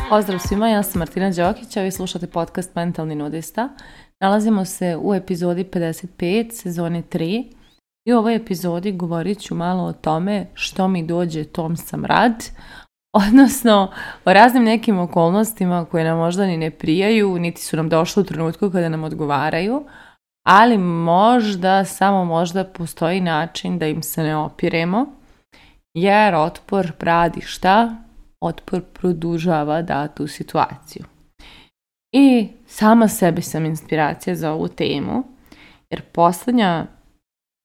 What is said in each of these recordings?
Pozdrav svima, ja sam Martina Đokić, a vi slušate podcast Mentalni nudista. Nalazimo se u epizodi 55, sezone 3 i u ovoj epizodi govorit ću malo o tome što mi dođe, tom sam rad, odnosno o raznim nekim okolnostima koje nam možda ni ne prijaju, niti su nam došle u trenutku kada nam odgovaraju, ali možda, samo možda postoji način da im se ne opiremo, jer otpor radi šta? Otpor produžava datu situaciju. I sama sebi sam inspiracija za ovu temu, jer posljednja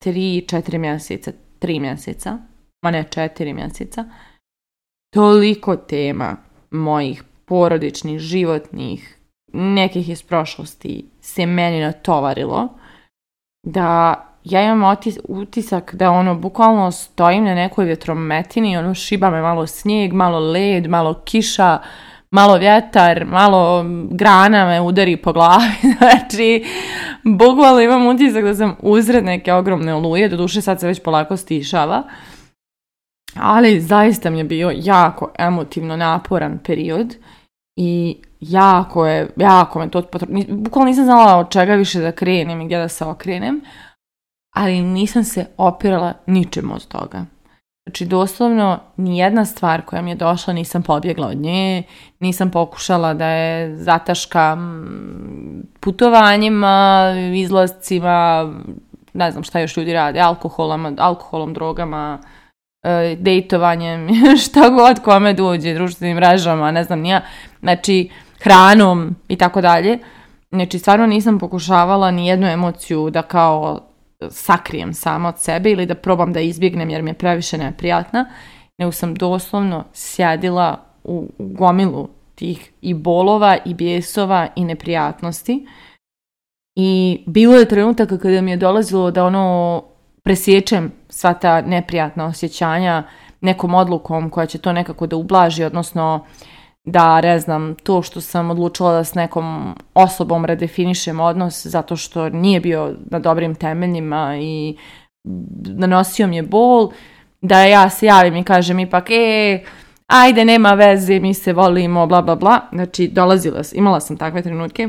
3 mjeseca, ma ne 4 mjeseca, toliko tema mojih porodičnih, životnih, nekih iz prošlosti se meni natovarilo, da ja imam utisak da bukvalno stojim na nekoj vjetrometini, šiba me malo snijeg, malo led, malo kiša, malo vjetar, malo grana me udari po glavi. Znači, bukvalno imam utisak da sam uzred neke ogromne oluje, doduše sad se već polako stišava, ali zaista mi je bio jako emotivno naporan period i jako me to bukvalno nisam znala od čega više da krenem i gdje da se okrenem, ali nisam se opirala ničemu od toga. Znači, doslovno, nijedna stvar koja mi je došla nisam pobjegla od nje, nisam pokušala da je zataškam putovanjima, izlascima, ne znam šta još ljudi rade, alkoholom, drogama, dejtovanjem, šta god kome dođe, društvenim mrežama, ne znam nija, znači hranom i tako dalje. Znači, stvarno nisam pokušavala ni jednu emociju da kao sakrijem sama od sebe ili da probam da izbjegnem jer mi je previše neprijatna, nego sam doslovno sjedila u gomilu tih i bolova i bijesova i neprijatnosti. I bilo je trenutaka kada mi je dolazilo da presječem sva ta neprijatna osjećanja nekom odlukom koja će to nekako da ublaži, odnosno da, ne znam, to što sam odlučila da s nekom osobom redefinišem odnos zato što nije bio na dobrim temeljima i nanosio mi je bol, da ja se javim i kažem ipak, ajde, nema veze, mi se volimo, bla, bla, bla. Znači, imala sam takve trenutke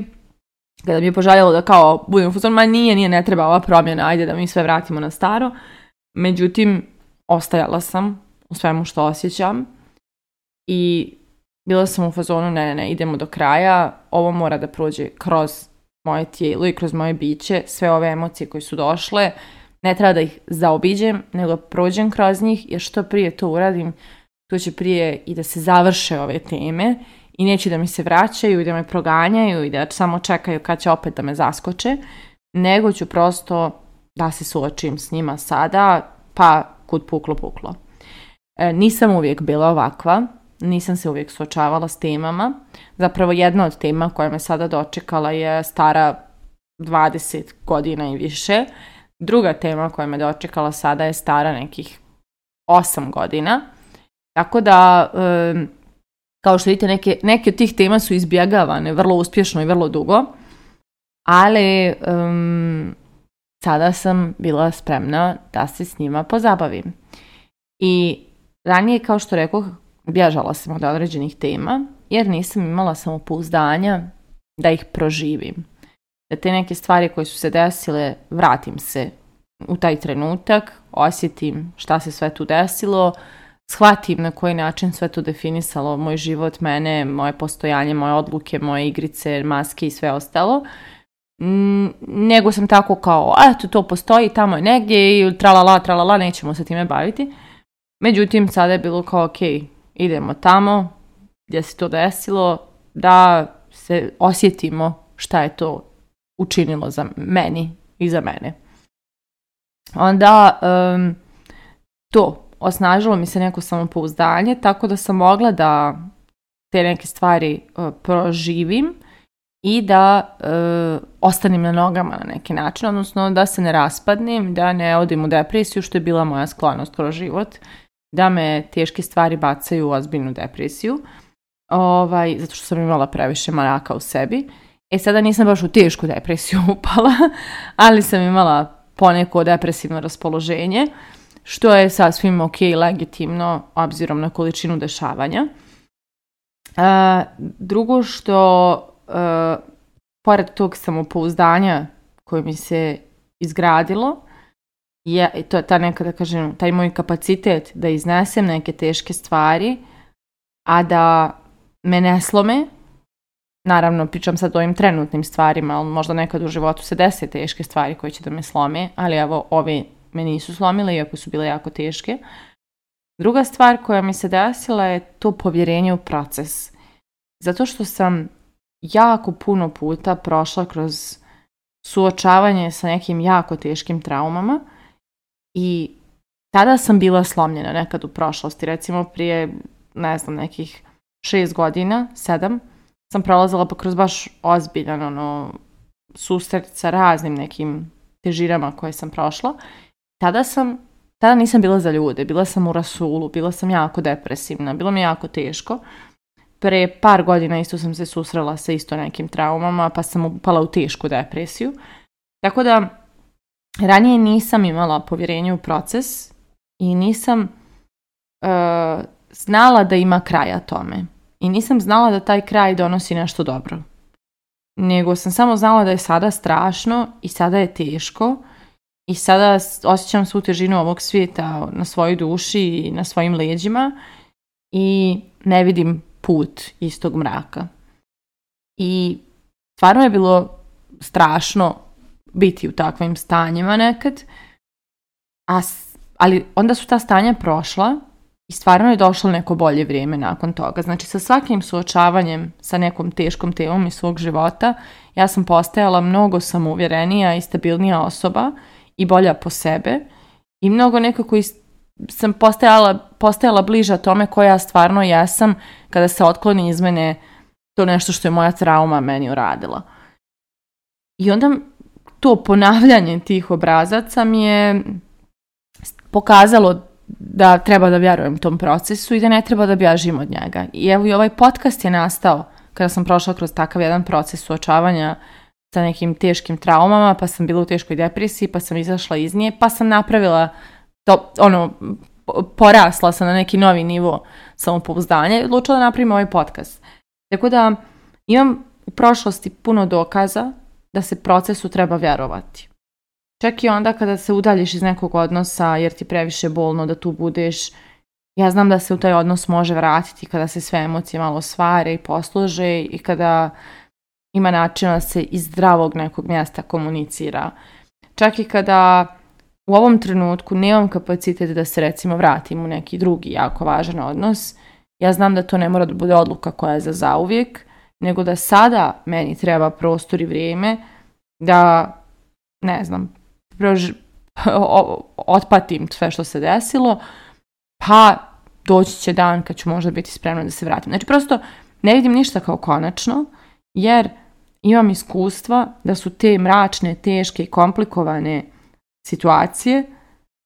kada mi je poželjelo da kao budem u fuzonu, nije, ne treba ova promjena, ajde da mi sve vratimo na staro. Međutim, ostajala sam u svemu što osjećam i bila sam u fazonu, ne, idemo do kraja, ovo mora da prođe kroz moje tijelo i kroz moje biće, sve ove emocije koje su došle, ne treba da ih zaobiđem, nego prođem kroz njih, jer što prije to uradim, to će prije i da se završe ove teme i neće da mi se vraćaju i da me proganjaju i da samo čekaju kad će opet da me zaskoče, nego ću prosto da se suočim s njima sada, pa kud puklo. Nisam uvijek bila ovakva, nisam se uvijek suočavala s temama. Zapravo jedna od tema koja me sada dočekala je stara 20 godina i više. Druga tema koja me dočekala sada je stara nekih 8 godina. Tako da, kao što vidite, neke od tih tema su izbjegavane vrlo uspješno i vrlo dugo. Ali sada sam bila spremna da se s njima pozabavim. I ranije, kao što rekoh, bježala sam od određenih tema jer nisam imala samopouzdanja da ih proživim. Da te neke stvari koje su se desile, vratim se u taj trenutak, osjetim šta se sve tu desilo, shvatim na koji način sve to definisalo moj život, mene, moje postojanje, moje odluke, moje igrice, maske i sve ostalo. Nego sam tako kao, eto, to postoji, tamo je negdje i tralala, nećemo se time baviti. Međutim, sada je bilo kao, ok, idemo tamo gdje se to desilo, da se osjetimo šta je to učinilo za meni i za mene. Onda to osnažilo mi se neko samopouzdanje, tako da sam mogla da te neke stvari proživim i da ostanem na nogama na neki način, odnosno da se ne raspadnem, da ne odim u depresiju, što je bila moja sklonost kroz život, da me teške stvari bacaju u ozbiljnu depresiju, zato što sam imala previše maraka u sebi. Sada nisam baš u tešku depresiju upala, ali sam imala poneko depresivno raspoloženje, što je sasvim ok, legitimno, obzirom na količinu dešavanja. Drugo što, pored tog samopouzdanja koje mi se izgradilo, to je ta neka, da kažem, taj moj kapacitet da iznesem neke teške stvari, a da me ne slome. Naravno, pričam sad o ovim trenutnim stvarima, ali možda nekad u životu se dese teške stvari koje će da me slome, ali evo, ove me nisu slomile, iako su bile jako teške. Druga stvar koja mi se desila je to povjerenje u proces. Zato što sam jako puno puta prošla kroz suočavanje sa nekim jako teškim traumama i tada sam bila slomljena nekad u prošlosti. Recimo prije, ne znam, nekih 6 godina, 7, sam prolazila pa kroz baš ozbiljan susret sa raznim nekim težinama koje sam prošla. Tada nisam bila za ljude, bila sam u rasulu, bila sam jako depresivna, bilo mi je jako teško. Pre par godina isto sam se susrela sa isto nekim traumama, pa sam upala u tešku depresiju. Tako da, ranije nisam imala povjerenje u proces i nisam znala da ima kraja tome. I nisam znala da taj kraj donosi nešto dobro. Nego sam samo znala da je sada strašno i sada je teško i sada osjećam svu težinu ovog svijeta na svojoj duši i na svojim leđima i ne vidim put iz tog mraka. I stvarno je bilo strašno biti u takvim stanjima nekad, ali onda su ta stanja prošla i stvarno je došlo neko bolje vrijeme nakon toga. Znači, sa svakim suočavanjem sa nekom teškom temom iz svog života, ja sam postajala mnogo samouvjerenija i stabilnija osoba i bolja po sebe i mnogo nekako sam postajala bliža tome koja ja stvarno jesam kada se otkloni iz mene to nešto što je moja trauma meni uradila. I onda to ponavljanje tih obrazaca mi je pokazalo da treba da vjerujem tom procesu i da ne treba da bježim od njega. I evo i ovaj podcast je nastao kada sam prošla kroz takav jedan proces suočavanja sa nekim teškim traumama, pa sam bila u teškoj depresiji, pa sam izašla iz nje, pa sam napravila to, porasla sam na neki novi nivo samopouzdanja i odlučila da napravim ovaj podcast. Tako da imam u prošlosti puno dokaza da se procesu treba vjerovati. Čak i onda kada se udaljiš iz nekog odnosa jer ti previše bolno da tu budeš, ja znam da se u taj odnos može vratiti kada se sve emocije malo svare i poslože i kada ima načina da se iz zdravog nekog mjesta komunicira. Čak i kada u ovom trenutku nemam kapacitet da se recimo vratim u neki drugi jako važan odnos, ja znam da to ne mora da bude odluka koja je za zauvijek, nego da sada meni treba prostor i vrijeme da, ne znam, otpatim sve što se desilo, pa doći će dan kad ću možda biti spremna da se vratim. Znači prosto ne vidim ništa kao konačno, jer imam iskustva da su te mračne, teške i komplikovane situacije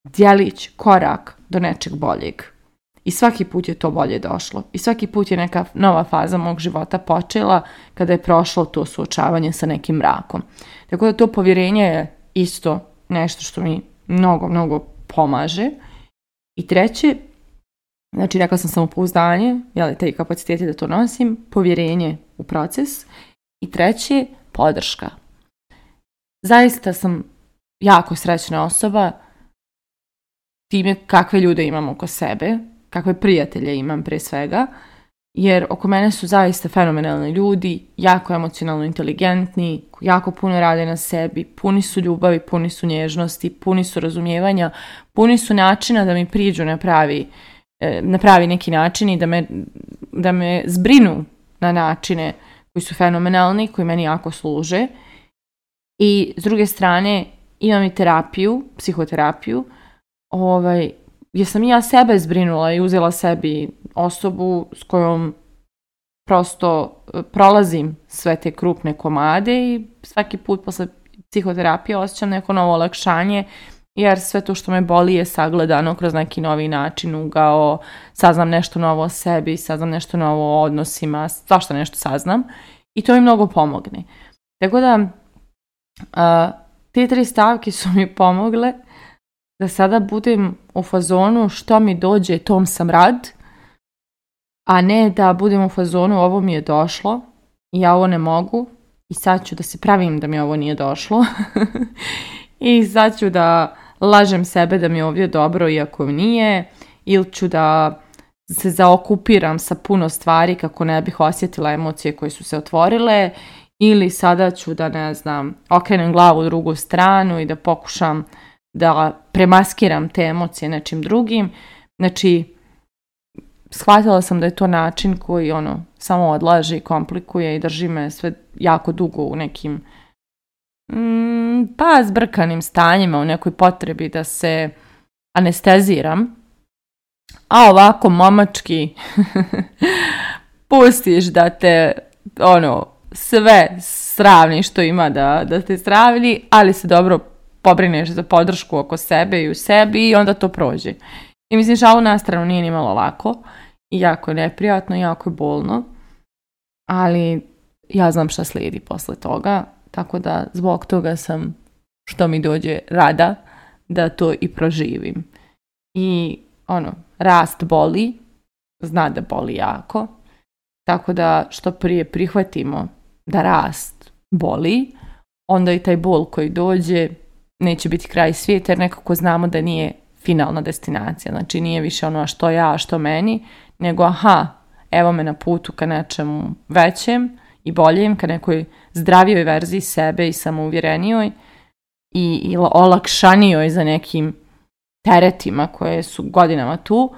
djelić korak do nečeg boljeg. I svaki put je to bolje došlo. I svaki put je neka nova faza mog života počela kada je prošlo to suočavanje sa nekim mrakom. Tako da to povjerenje je isto nešto što mi mnogo, mnogo pomaže. I treće, znači rekla sam samopouzdanje, taj kapaciteti da to nosim, povjerenje u proces. I treće, podrška. Zaista sam jako srećna osoba time kakve ljude imam oko sebe, kakve prijatelje imam prije svega, jer oko mene su zaista fenomenalni ljudi, jako emocionalno inteligentni, jako puno rade na sebi, puni su ljubavi, puni su nježnosti, puni su razumijevanja, puni su načina da mi priđu na pravi neki način i da me zbrinu na načine koji su fenomenalni, koji meni jako služe. I s druge strane imam i terapiju, psihoterapiju, gdje sam i ja sebe zbrinula i uzela sebi osobu s kojom prosto prolazim sve te krupne komade i svaki put posle psihoterapije osjećam neko novo olakšanje, jer sve to što me boli je sagledano kroz neki novi način, ugao, saznam nešto novo o sebi, saznam nešto novo o odnosima, svašta nešto saznam i to mi mnogo pomogne. Tako da te 3 stavke su mi pomogle da sada budem u fazonu što mi dođe, tom sam rad, a ne da budem u fazonu ovo mi je došlo i ja ovo ne mogu i sad ću da se pravim da mi ovo nije došlo i sad ću da lažem sebe da mi je ovdje dobro iako nije, ili ću da se zaokupiram sa puno stvari kako ne bih osjetila emocije koje su se otvorile, ili sada ću da, ne znam, okrenem glavu u drugu stranu i da pokušam da premaskiram te emocije nečim drugim. Znači, shvatila sam da je to način koji samo odlaže i komplikuje i drži me sve jako dugo u nekim zbrkanim stanjima, u nekoj potrebi da se anesteziram. A ovako momački pustiš da te sve sravni što ima da te sravni, ali se dobro pobrineš za podršku oko sebe i u sebi i onda to prođe. I mislim, šalu na stranu nije ni malo lako i jako je neprijatno, jako je bolno, ali ja znam šta slijedi posle toga, tako da zbog toga sam, što mi dođe, rada da to i proživim. I rast boli, zna da boli jako, tako da što prije prihvatimo da rast boli, onda i taj bol koji dođe neće biti kraj svijeta, jer nekako znamo da nije finalna destinacija. Znači nije više a što ja, a što meni, nego evo me na putu ka nečemu većem i boljem, ka nekoj zdravijoj verziji sebe i samouvjerenijoj i olakšanijoj za nekim teretima koje su godinama tu.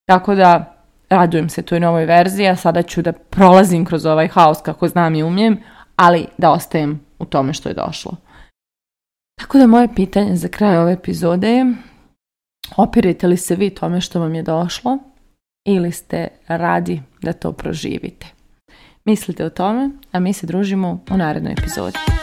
Tako da radujem se toj novoj verziji, a sada ću da prolazim kroz ovaj haos kako znam i umijem, ali da ostajem u tome što je došlo. Tako da moje pitanje za kraj ove epizode je: opirite li se vi tome što vam je došlo ili ste radi da to proživite? Mislite o tome, a mi se družimo u narednoj epizodi.